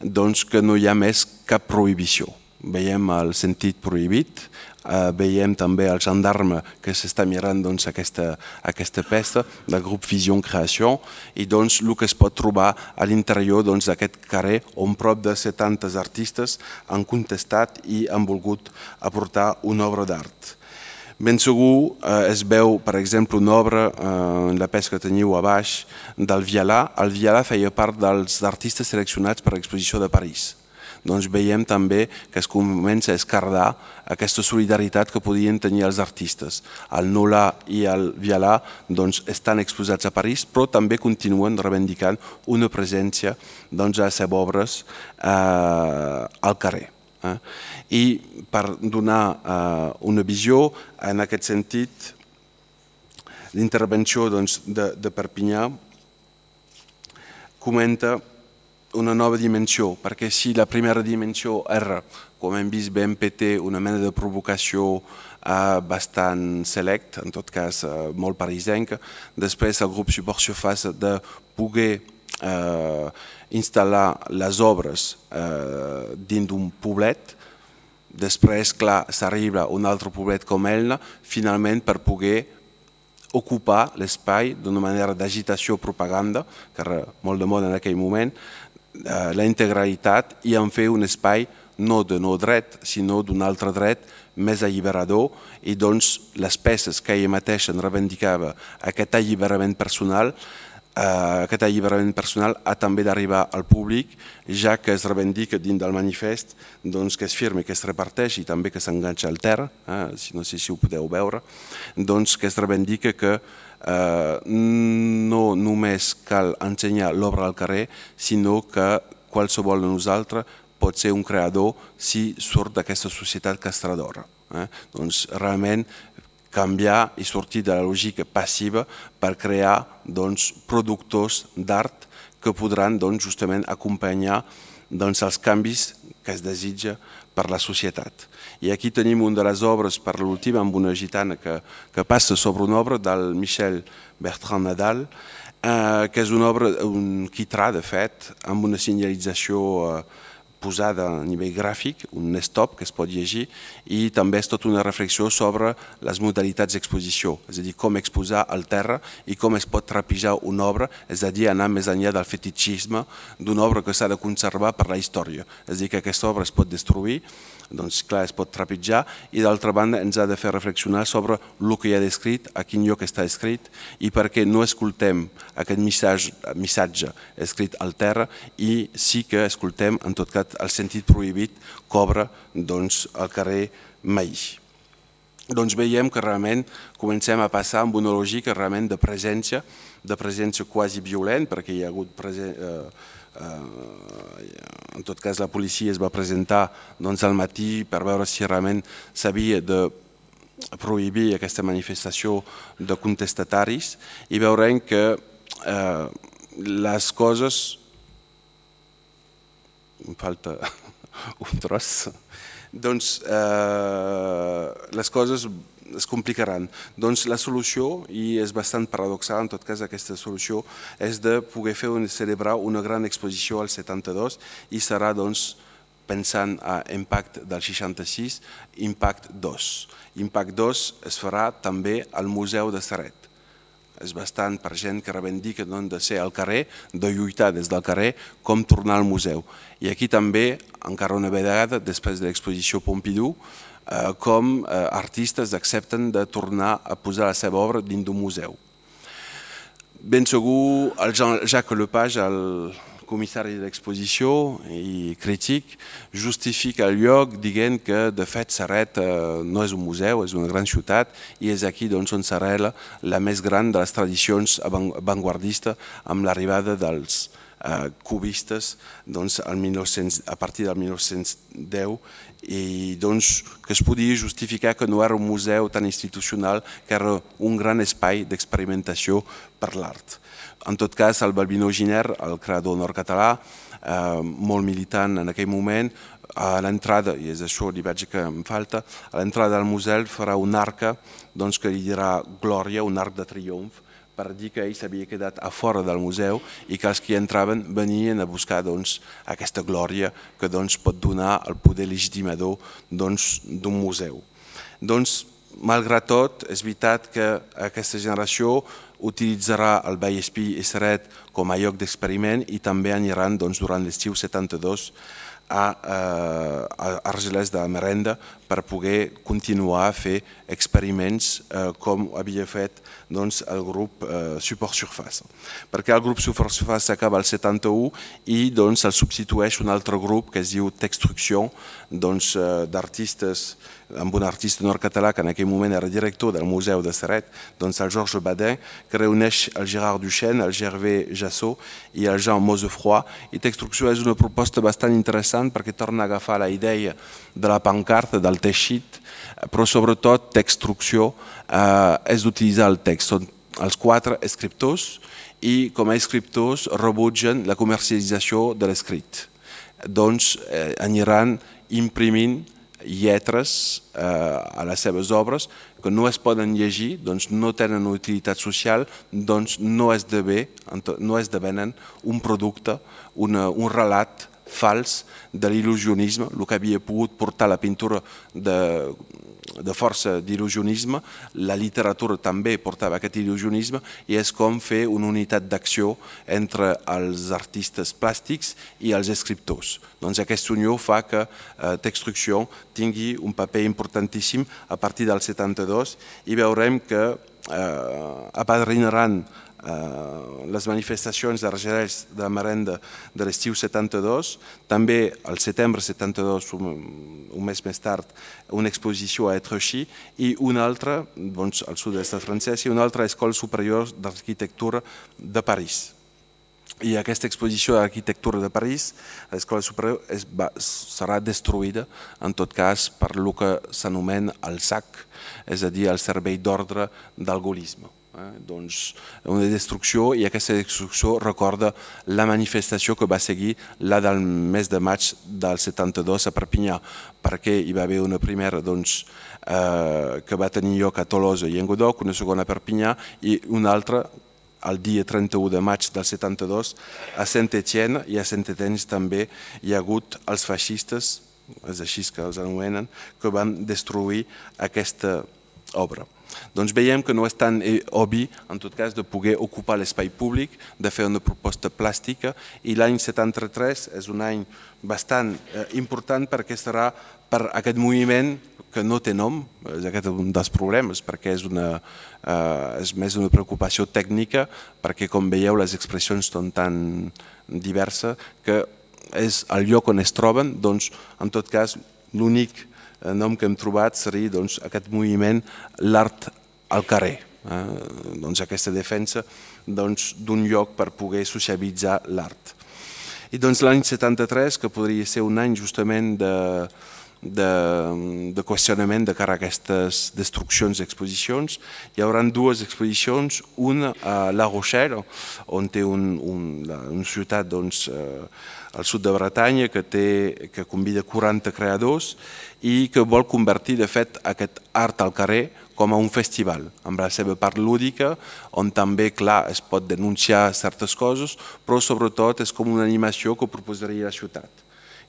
doncs, que no hi ha més cap prohibició. Veiem el sentit prohibit, eh, veiem també el gendarme que s'està mirant doncs, aquesta, aquesta peça del grup Vision Creació i doncs, el que es pot trobar a l'interior doncs, d'aquest carrer on prop de setanta artistes han contestat i han volgut aportar una obra d'art. Ben segur eh, es veu, per exemple, una obra eh, en la peça que teniu a baix del Vialà. El Vialà feia part dels artistes seleccionats per l'exposició de París. Doncs veiem també que es comença a escardar aquesta solidaritat que podien tenir els artistes. El Nolà i el Vialà doncs, estan exposats a París, però també continuen reivindicant una presència doncs, a les seves obres eh, al carrer. Eh? I per donar eh, una visió, en aquest sentit, l'intervenció doncs, de, de Perpinyà comenta una nova dimensió, perquè si la primera dimensió era, com hem vist, B M P T, una mena de provocació eh, bastant select, en tot cas eh, molt parisenca, després el grup Support Surface de poder eh, instal·lar les obres eh, dins d'un poblet, després, clar, s'arriba a un altre poblet com Elna, finalment per poder ocupar l'espai d'una manera d'agitació propaganda, que era molt de moda en aquell moment, la integralitat i en fer un espai no de no dret, sinó d'un altre dret més alliberador i doncs les peces que ella mateixa reivindicava aquest alliberament personal, eh, aquest alliberament personal ha també d'arribar al públic, ja que es reivindica dins del manifest doncs, que es firma, que es reparteix i també que s'enganxa al terra, eh, no sé si ho podeu veure, doncs que es reivindica que Uh, no només cal ensenyar l'obra al carrer, sinó que qualsevol de nosaltres pot ser un creador si surt d'aquesta societat castradora. Eh? Doncs realment canviar i sortir de la lògica passiva per crear doncs, productors d'art que podran doncs, justament acompanyar doncs, els canvis que es desitja per la societat. I aquí tenim una de les obres, per l'última, amb una gitana que, que passa sobre una obra del Michel Bertrand Nadal, eh, que és una obra, un quitrà, de fet, amb una senyalització eh, posada a nivell gràfic, un stop que es pot llegir, i també és tota una reflexió sobre les modalitats d'exposició, és a dir, com exposar al terra i com es pot trapijar una obra, és a dir, anar més enllà del fetichisme d'una obra que s'ha de conservar per la història. És a dir, que aquesta obra es pot destruir, doncs clar, es pot trepitjar i d'altra banda ens ha de fer reflexionar sobre el que hi ha descrit, a quin lloc està escrit i per què no escoltem aquest missatge, missatge escrit al terra i sí que escoltem en tot cas el sentit prohibit que obre doncs, al carrer Maí. Doncs veiem que realment comencem a passar amb una lògica realment de presència, de presència quasi violent, perquè hi ha hagut presència... Eh, en tot cas la policia es va presentar doncs, al matí per veure si realment s'havia de prohibir aquesta manifestació de contestataris i veurem que eh, les coses... em falta un tros... doncs eh, les coses es complicaran. Doncs la solució, i és bastant paradoxal en tot cas aquesta solució, és de poder fer un, celebrar una gran exposició al setanta-dos i serà doncs pensant a Impact del seixanta-sis, Impact dos. Impact dos es farà també al Museu de Ceret. És bastant per gent que reivindica de ser al carrer, de lluitar des del carrer, com tornar al museu. I aquí també, encara una vegada, després de l'exposició Pompidou, com artistes accepten de tornar a posar la seva obra dins d'un museu. Ben segur, el Jacques Lepage, el comissari d'exposició i crític, justifica el lloc dient que de fet Ceret no és un museu, és una gran ciutat i és aquí on s'arrela la més gran de les tradicions avantguardistes amb l'arribada dels eh, cubistes doncs, al mil nou-cents, a partir del mil nou-cents deu, i doncs, que es podia justificar que no era un museu tan institucional, que era un gran espai d'experimentació per l'art. En tot cas, el Balbino Giner, el creador nord-català, eh, molt militant en aquell moment, a l'entrada, i és això li veig que em falta, a l'entrada del museu farà un arca doncs, que li dirà Glòria, un arc de triomf, per dir que ell s'havia quedat a fora del museu i que els que hi entraven venien a buscar doncs, aquesta glòria que doncs, pot donar el poder legitimador d'un doncs, museu. Doncs, malgrat tot, és veritat que aquesta generació utilitzarà el Vallespí i Ceret com a lloc d'experiment i també aniran doncs, durant l'estiu setanta-dos a, a Argelès de la Merenda per poder continuar a fer experiments eh, com havia fet doncs, el grup eh, Support Surface. Perquè el grup Support Surface s'acaba el setanta-u i doncs, el substitueix un altre grup que es diu Textruction, doncs, eh, d'artistes, amb un artista nord-català que en aquell moment era director del Museu de Ceret, doncs el Georges Badin, que reuneix el Gérard Duchesne, el Gervais Jassot i el Jean Mosefroy. I Textruction és una proposta bastant interessant perquè torna a agafar la idea de la pancarta, del teixit, però sobretot Textruction eh, és d'utilitzar el text. Són els quatre escriptors i com a escriptors rebutgen la comercialització de l'escrit. Doncs eh, aniran imprimint lletres eh, a les seves obres que no es poden llegir, doncs no tenen utilitat social, doncs no esdevenen un producte, una, un relat fals de l'il·lusionisme, el que havia pogut portar la pintura de, de força d'il·lusionisme, la literatura també portava aquest il·lusionisme i és com fer una unitat d'acció entre els artistes plàstics i els escriptors. Doncs aquesta unió fa que eh, Textruction tingui un paper importantíssim a partir del setanta-dos i veurem que eh, apadrinaran Uh, les manifestacions d'Argelès de la Merenda de l'estiu setanta-dos, també al setembre setanta-dos, un, un mes més tard, una exposició a Étrechy i una altra, doncs, al sud de l'estat francès, i una altra Escola Superior d'Arquitectura de París. I aquesta exposició d'arquitectura de París, l'Escola Superior, es va, serà destruïda, en tot cas, per el que s'anomena el S A C, és a dir, el Servei d'Ordre del Gaullisme. Eh, doncs una destrucció, i aquesta destrucció recorda la manifestació que va seguir la del mes de maig del setanta-dos a Perpinyà, perquè hi va haver una primera doncs, eh, que va tenir lloc a Tolosa i Languedoc, una segona a Perpinyà i una altra el dia trenta-u de maig del setanta-dos a Saint-Étienne, i a Saint-Étienne també hi ha hagut els feixistes, és així que els anomenen, que van destruir aquesta obra. Doncs veiem que no és tan obvi, en tot cas, de poder ocupar l'espai públic, de fer una proposta plàstica, i l'any setanta-tres és un any bastant eh, important perquè serà per aquest moviment que no té nom, és aquest un dels problemes, perquè és, una, eh, és més una preocupació tècnica, perquè com veieu les expressions són tan diverses que és el lloc on es troben, doncs en tot cas l'únic el nom que hem trobat seria doncs, aquest moviment, l'art al carrer, eh? doncs, aquesta defensa d'un doncs, lloc per poder socialitzar l'art. I doncs, l'any setanta-tres, que podria ser un any justament de, de, de qüestionament de cara a aquestes destruccions d'exposicions, hi haurà dues exposicions, una a La Rochelle, on té un, un, una ciutat doncs, eh, al sud de Bretanya que, té, que convida quaranta creadors i que vol convertir de fet aquest art al carrer com a un festival, amb la seva part lúdica, on també, clar, es pot denunciar certes coses, però sobretot és com una animació que proposaria la ciutat.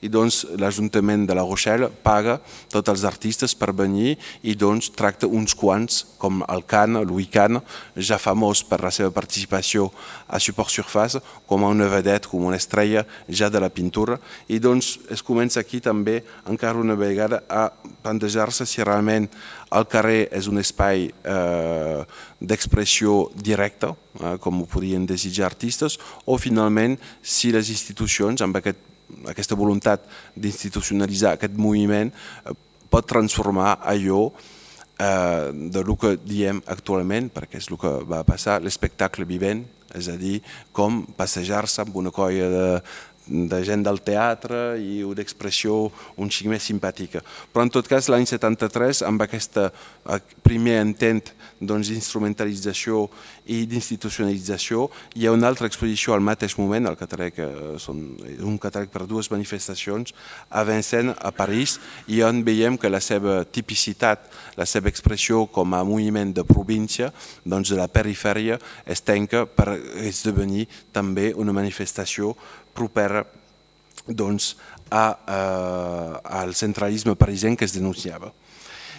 I doncs l'Ajuntament de La Rochelle paga tots els artistes per venir i doncs tracta uns quants, com el Kahn, Louis Kahn, ja famós per la seva participació a Support Surface, com a una vedette, com una estrella ja de la pintura. I doncs es comença aquí també encara una vegada a plantejar-se si realment el carrer és un espai eh, d'expressió directa, eh, com ho podien desitjar artistes, o finalment si les institucions amb aquest aquesta voluntat d'institucionalitzar aquest moviment pot transformar allò de el que diem actualment, perquè és el que va passar, l'espectacle vivent, és a dir, com passejar-se amb una colla de, de gent del teatre i una expressió un xic més simpàtica. Però en tot cas l'any setanta-tres, amb aquest primer intent d'instrumentalització i d'institucionalització, hi ha una altra exposició al mateix moment, el catàleg, un catàleg per dues manifestacions, a Vincennes, a París, i on veiem que la seva tipicitat, la seva expressió com a moviment de província, doncs de la perifèria, es tanca per esdevenir també una manifestació propera doncs, a, a, al centralisme parisenc que es denunciava.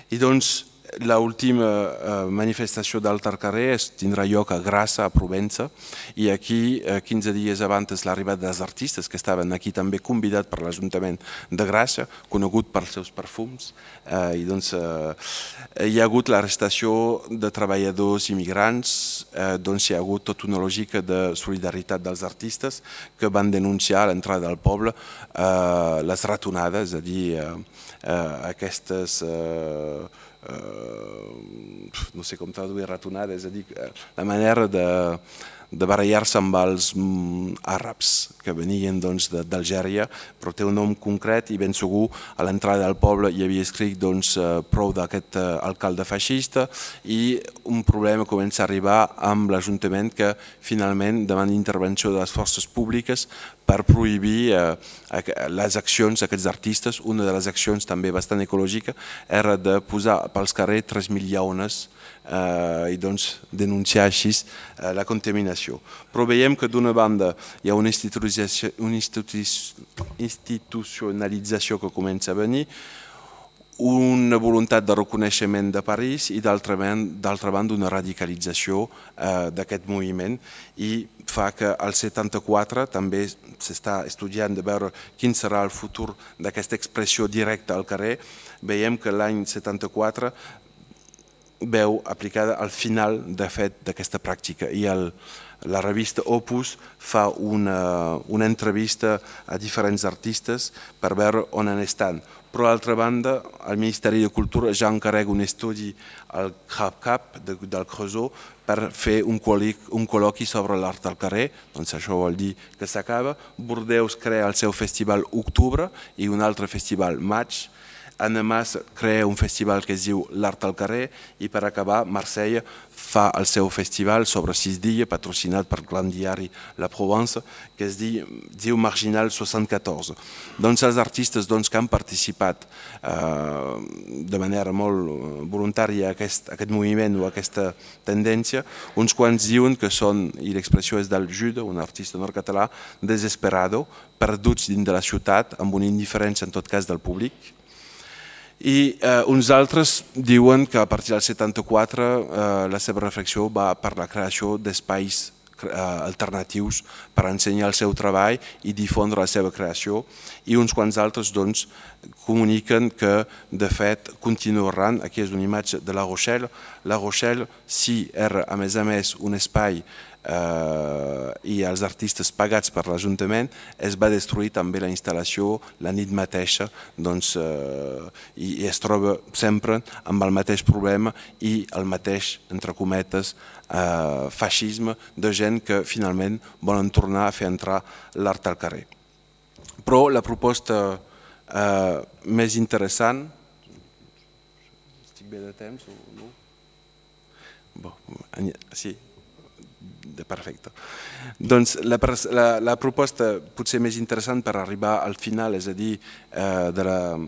I doncs l'última uh, manifestació d'Alt al carrer es tindrà lloc a Grassa, a Provença, i aquí, uh, quinze dies abans l'arribada dels artistes, que estaven aquí també convidats per l'Ajuntament de Grassa, conegut pels seus perfums, uh, i doncs uh, hi ha hagut l'arrestació de treballadors immigrants, uh, doncs hi ha hagut tota una lògica de solidaritat dels artistes que van denunciar a l'entrada del poble uh, les ratonades, és a dir, uh, uh, aquestes... Uh, Uh, no sé com traduir ratonada, és a dir, la manera de, de barallar-se amb els mm, àrabs que venien doncs, d'Algèria, però té un nom concret i ben segur a l'entrada del poble hi havia escrit doncs, prou d'aquest uh, alcalde feixista, i un problema comença a arribar amb l'Ajuntament que finalment demana intervenció de les forces públiques per prohibir eh, les accions d'aquests artistes. Una de les accions també bastant ecològica era de posar pels carrers tres mil llaunes eh, i doncs denunciar així eh, la contaminació. Però veiem que d'una banda hi ha una institucionalització, una institucionalització que comença a venir, una voluntat de reconeixement de París i d'altra banda una radicalització eh, d'aquest moviment, i fa que al setanta-quatre també s'està estudiant de veure quin serà el futur d'aquesta expressió directa al carrer. Veiem que l'any setanta-quatre veu aplicada al final de fet d'aquesta pràctica, i el, la revista Opus fa una, una entrevista a diferents artistes per veure on en estan. Però d'altra banda, el Ministeri de Cultura ja encarrega un estudi al CAP de, del Creusot per fer un col·loqui, un col·loqui sobre l'art al carrer, doncs això vol dir que s'acaba. Bordeus crea el seu festival Octubre i un altre festival Maig. Annemasse crea un festival que es diu l'Art al carrer, i per acabar Marsella fa el seu festival sobre sis dies patrocinat per el gran diari La Provence, que es diu, diu Marginal seixanta-quatre. Doncs els artistes doncs, que han participat eh, de manera molt voluntària a aquest, a aquest moviment o a aquesta tendència, uns quants diuen que són, i l'expressió és del Jude, un artista nord-català, desesperado, perduts dins de la ciutat, amb una indiferència en tot cas del públic. I eh, uns altres diuen que a partir del setanta-quatre eh, la seva reflexió va per la creació d'espais eh, alternatius per ensenyar el seu treball i difondre la seva creació, i uns quants altres doncs, comuniquen que de fet continuaran. Aquí és una imatge de La Rochelle. La Rochelle, si era a més a més un espai Uh, i els artistes pagats per l'Ajuntament, es va destruir també la instal·lació la nit mateixa, doncs, uh, i, i es troba sempre amb el mateix problema i el mateix, entre cometes, uh, feixisme de gent que finalment volen tornar a fer entrar l'art al carrer. Però la proposta uh, més interessant... Estic bé de temps o no? Bon, sí. Perfecte. Doncs la, la, la proposta potser més interessant per arribar al final, és a dir, eh, de, la,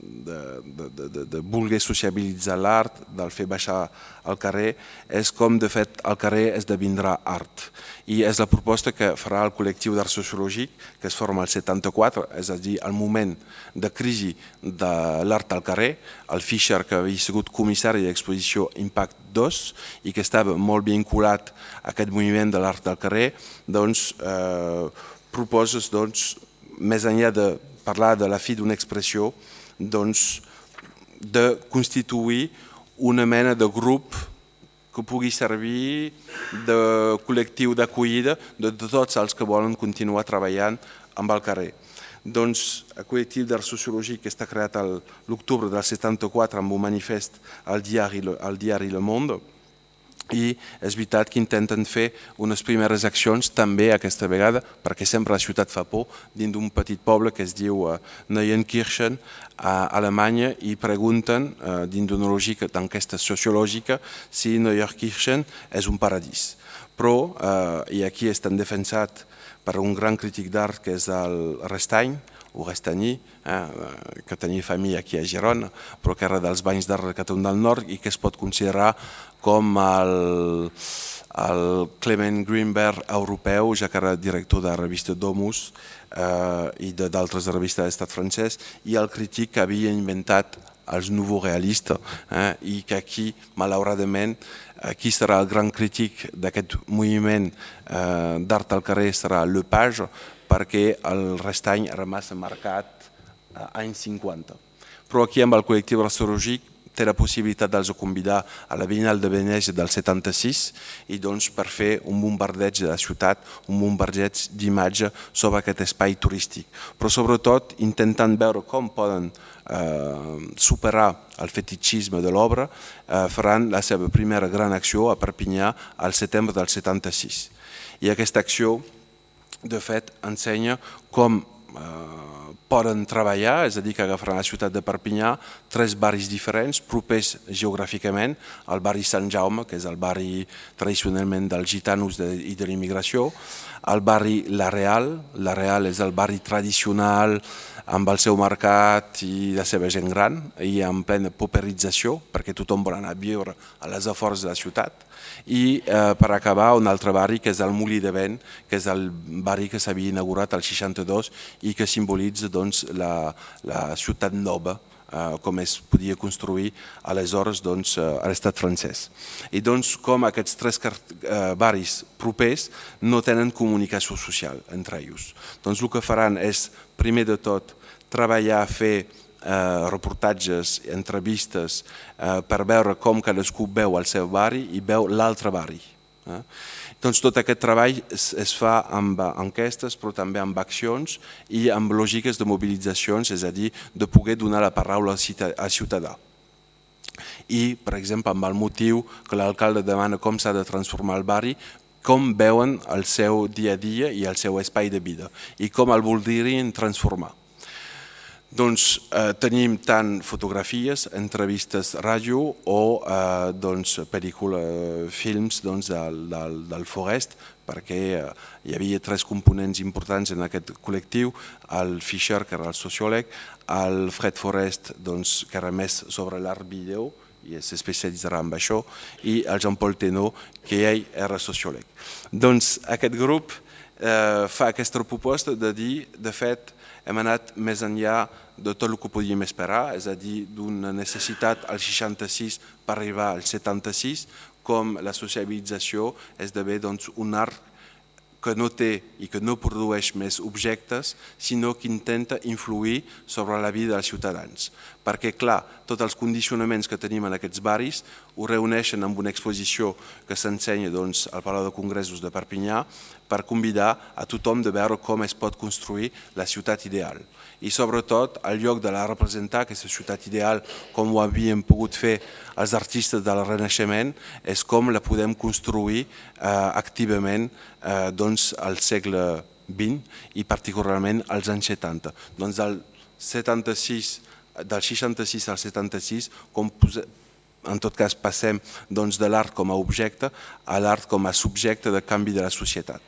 de, de, de, de voler sociabilitzar l'art, del fer baixar al carrer, és com de fet el carrer esdevindrà art. I és la proposta que farà el col·lectiu d'art sociològic, que es forma al setanta-quatre, és a dir, al moment de crisi de l'art al carrer. El Fischer, que havia sigut comissari d'exposició Impact dos i que estava molt vinculat a aquest moviment de l'art al carrer, doncs eh, proposes, doncs, més enllà de parlar de la fi d'una expressió, doncs, de constituir una mena de grup que pugui servir de col·lectiu d'acollida de tots els que volen continuar treballant amb el carrer. Doncs el col·lectiu d'art sociològic que està creat l'octubre del setanta-quatre amb un manifest al diari, al diari Le Monde, i és veritat que intenten fer unes primeres accions també aquesta vegada, perquè sempre la ciutat fa por, dins d'un petit poble que es diu Neuenkirchen a Alemanya, i pregunten dins d'una lògica d'enquesta sociològica si Neuenkirchen és un paradís. Però, i aquí estan defensat per un gran crític d'art que és el Restein, o Restany, que tenia família aquí a Girona, però que era dels banys d'art de Catalunya del Nord i que es pot considerar com el Clement Greenberg europeu, ja que era director de la revista Domus i d'altres revistes d'estat francès, i el crític que havia inventat els nouveaux realistes, i que aquí, malauradament, qui serà el gran crític d'aquest moviment d'art al carrer serà Lepage, perquè el Restany era massa marcat anys cinquanta. Però aquí amb el col·lectiu restaurològic té la possibilitat de convidar a la Biennal de Venècia del setanta-sis i doncs per fer un bombardeig de la ciutat, un bombardeig d'imatge sobre aquest espai turístic. Però sobretot intentant veure com poden superar el fetichisme de l'obra, faran la seva primera gran acció a Perpinyà al setembre del setanta-sis. I aquesta acció, de fet, ensenya com poden treballar, és a dir, que agafaran la ciutat de Perpinyà tres barris diferents, propers geogràficament, el barri Sant Jaume, que és el barri tradicionalment dels gitanos i de l'immigració, el barri La Real, La Real és el barri tradicional amb el seu mercat i la seva gent gran i en plena pauperització, perquè tothom vol anar a viure a les afores de la ciutat. I per acabar un altre barri que és el Molí de Vent, que és el barri que s'havia inaugurat al seixanta-dos i que simbolitza la ciutat nova com es podia construir aleshores a l'estat francès. I doncs com aquests tres barris propers no tenen comunicació social entre ells. Doncs el que faran és, primer de tot, treballar, fer reportatges, entrevistes per veure com cadascú veu el seu barri i veu l'altre barri. Doncs tot aquest treball es fa amb enquestes però també amb accions i amb lògiques de mobilitzacions, és a dir, de poder donar la paraula al ciutadà. I, per exemple, amb el motiu que l'alcalde demana com s'ha de transformar el barri, com veuen el seu dia a dia i el seu espai de vida i com el voldrien transformar. Doncs tenim tant fotografies, entrevistes ràdio o pel·lícules, films del Forest, perquè hi havia tres components importants en aquest col·lectiu, el Fischer, que era el sociòleg, el Fred Forest, que era més sobre l'art vídeo, i s'especialitzarà en això, i el Jean-Paul Thénault, que ell era sociòleg. Doncs aquest grup fa aquesta proposta de dir, de fet, hem anat més enllà de tot el que podíem esperar, és a dir, d'una necessitat al seixanta-sis per arribar al setanta-sis, com la sociabilització esdevé un art que no té i que no produeix més objectes, sinó que intenta influir sobre la vida dels ciutadans. Perquè, clar, tots els condicionaments que tenim en aquests barris ho reuneixen amb una exposició que s'ensenya al Palau de Congressos de Perpinyà per convidar a tothom de veure com es pot construir la ciutat ideal. I sobretot, al lloc de la representar aquesta ciutat ideal, com ho havíem pogut fer els artistes del Renaixement, és com la podem construir activament al segle vint i particularment als anys setanta. Doncs del seixanta-sis al setanta-sis, en tot cas passem de l'art com a objecte a l'art com a subjecte de canvi de la societat.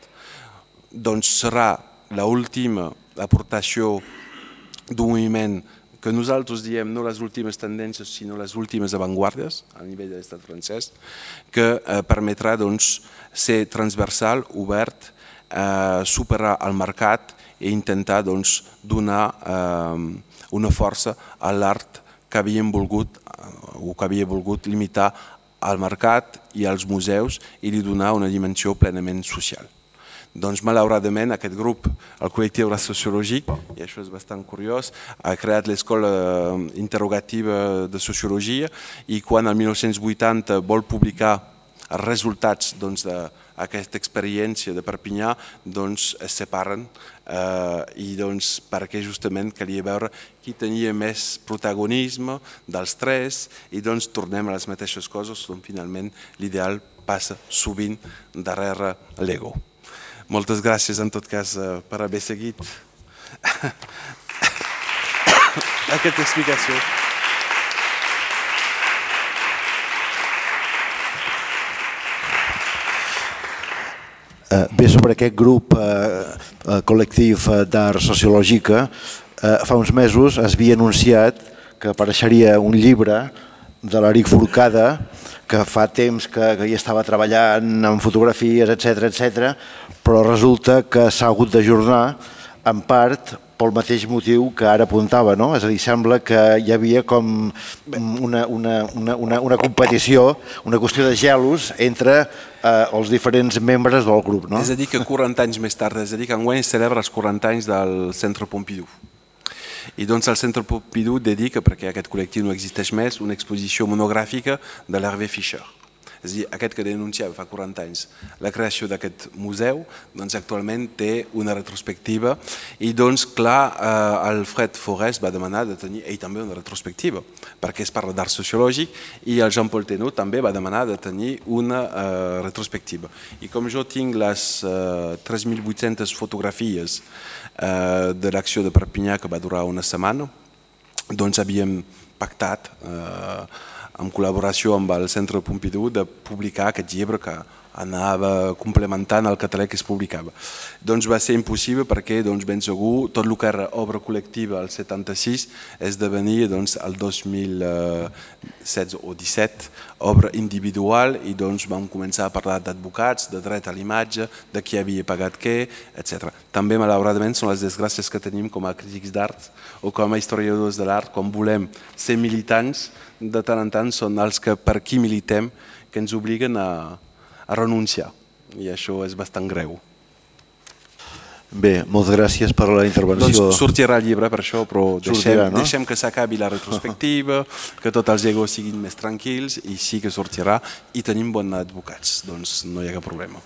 Doncs serà l'última aportació d'un moviment que nosaltres diem no les últimes tendències sinó les últimes avantguardes a nivell de l'estat francès, que permetrà ser transversal, obert, superar el mercat i intentar donar una força a l'art que havíem volgut o que havia volgut limitar al mercat i als museus i li donar una dimensió plenament social. Doncs malauradament aquest grup, el col·lectiu sociològic, i això és bastant curiós, ha creat l'escola interrogativa de sociologia i quan el mil nou-cents vuitanta vol publicar els resultats d'aquesta experiència de Perpinyà es separen perquè justament calia veure qui tenia més protagonisme dels tres i tornem a les mateixes coses on finalment l'ideal passa sovint darrere l'ego. Moltes gràcies en tot cas per haver seguit aquesta explicació. Bé, sobre aquest grup col·lectiu d'art sociològica, fa uns mesos es havia anunciat que apareixeria un llibre de l'Eric Forcada, que fa temps que hi estava treballant en fotografies, etcètera, etcètera, però resulta que s'ha hagut d'ajornar en part pel mateix motiu que ara apuntava, no? És a dir, sembla que hi havia com una, una, una, una, una competició, una qüestió de gelos entre eh, els diferents membres del grup, no? És a dir, que quaranta anys més tard, és a dir, que enguany es celebra els quaranta anys del Centre Pompidou. I doncs el Centre Pompidou dedica, perquè aquest col·lectiu no existeix més, una exposició monogràfica de l'Hervé Fischer. És a dir, aquest que denunciava fa quaranta anys la creació d'aquest museu, doncs actualment té una retrospectiva i doncs clar, eh, Alfred Forest va demanar de tenir ell també una retrospectiva, perquè es parla d'art sociològic i el Jean-Paul Thénault també va demanar de tenir una eh, retrospectiva. I com jo tinc les eh, tres mil vuit-centes fotografies eh, de l'acció de Perpinyà que va durar una setmana, doncs havíem pactat eh, en col·laboració amb el Centre Pompidou de publicar aquest llibre que anava complementant el català que es publicava. Doncs va ser impossible perquè doncs, ben segur tot el que era obra col·lectiva al setanta-sis esdevenia doncs, el dos mil setze o disset obra individual i doncs vam començar a parlar d'advocats, de dret a l'imatge, de qui havia pagat què, etcètera. També malauradament són les desgràcies que tenim com a crítics d'art o com a historiadors de l'art quan volem ser militants, de tant en tant són els que per qui militem que ens obliguen a a renunciar, i això és bastant greu. Bé, moltes gràcies per la intervenció. Doncs sortirà el llibre per això, però deixem, Sortirà, no? deixem que s'acabi la retrospectiva, que tots els egos siguin més tranquils i sí que sortirà i tenim bons advocats, doncs no hi ha cap problema.